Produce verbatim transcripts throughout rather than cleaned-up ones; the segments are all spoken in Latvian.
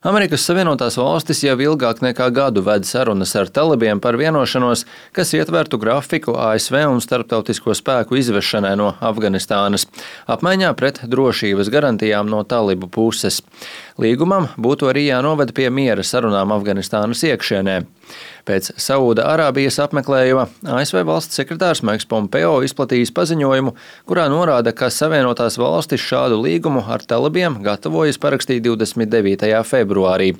Amerikas Savienotās Valstis jau ilgāk nekā gadu ved sarunas ar talibiem par vienošanos, kas ietvertu grafiku A S V un starptautisko spēku izvešanai no Afganistānas, apmaiņā pret drošības garantijām no talibu puses. Līgumam būtu arī jānoved pie miera sarunām Afganistānas iekšienē. Pēc Saūda Arābijas apmeklējuma A S V valsts sekretārs Maiks Pompeo izplatījis paziņojumu, kurā norāda, ka Savienotās Valstis šādu līgumu ar talibiem gatavojas parakstīt divdesmit devītajā februārī.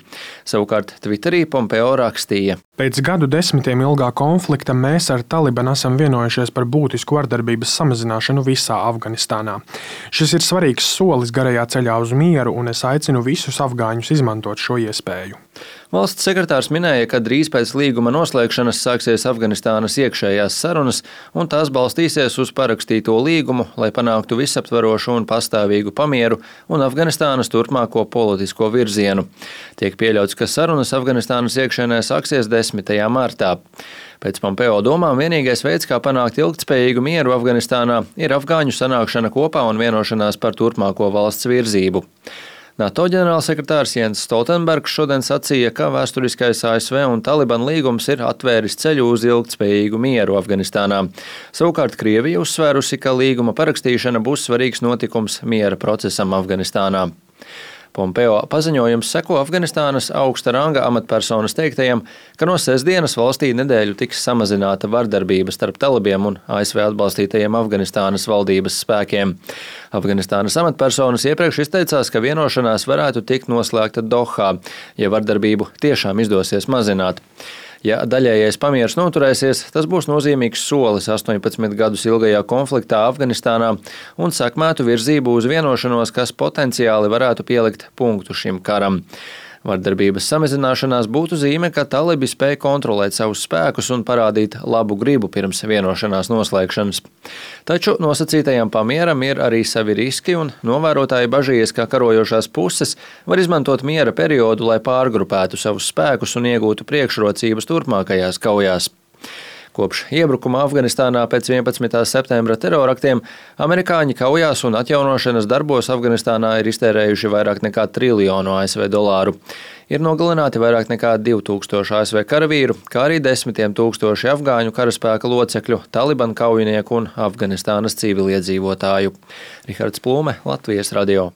Savukārt Twitterī Pompeo rakstīja: Pēc gadu desmitiem ilgā konflikta mēs ar Talibanu esam vienojušies par būtisku vardarbības samazināšanu visā Afganistānā. Šis ir svarīgs solis garajā ceļā uz mieru, un es aicinu visus afgāņus izmantot šo iespēju. Valsts sekretārs minēja, ka drīz pēc līguma noslēgšanas sāksies Afganistānas iekšējās sarunas, un tās balstīsies uz parakstīto līgumu, lai panāktu visaptvarošu un pastāvīgu pamieru un Afganistānas turpmāko politisko virzienu. Tiek pieļauts, ka sarunas Afganistānas iekšienē sāksies desmitajā martā. Pēc Pompeo domām vienīgais veids, kā panākt ilgtspējīgu mieru Afganistānā, ir afgāņu sanākšana kopā un vienošanās par turpmāko valsts virzību. NATO ģenerālsekretārs Jens Stoltenbergs šodien sacīja, ka vēsturiskais A S V un Taliban līgums ir atvēris ceļu uz ilgtspējīgu mieru Afganistānā. Savukārt Krievija uzsvērusi, ka līguma parakstīšana būs svarīgs notikums miera procesam Afganistānā. Pompeo paziņojums seko Afganistānas augsta ranga amatpersonas teiktajam, ka no sestdienas valstī nedēļu tiks samazināta vardarbība starp talibiem un A S V atbalstītajiem Afganistānas valdības spēkiem. Afganistānas amatpersonas iepriekš izteicās, ka vienošanās varētu tikt noslēgta Dohā, ja vardarbību tiešām izdosies mazināt. Ja daļējais pamieris noturēsies, tas būs nozīmīgs solis astoņpadsmit gadus ilgajā konfliktā Afganistānā un sekmētu virzību uz vienošanos, kas potenciāli varētu pielikt punktu šim karam. Vardarbības samazināšanās būtu zīme, ka talibi spēj kontrolēt savus spēkus un parādīt labu gribu pirms vienošanās noslēgšanas. Taču nosacītajam pamieram ir arī savi riski, un novērotāji bažījies, ka karojošās puses var izmantot miera periodu, lai pārgrupētu savus spēkus un iegūtu priekšrocības turpmākajās kaujās. Kopš iebrukuma Afganistānā pēc vienpadsmitā septembra teroraktiem amerikāņi kaujās un atjaunošanas darbos Afganistānā ir iztērējuši vairāk nekā triljonu A S V dolāru. Ir nogalināti vairāk nekā divi tūkstoši A S V karavīru, kā arī desmitiem tūkstoši afgāņu karaspēka locekļu, Taliban kaujinieku un Afganistānas civiliedzīvotāju. Rihards Plūme, Latvijas radio.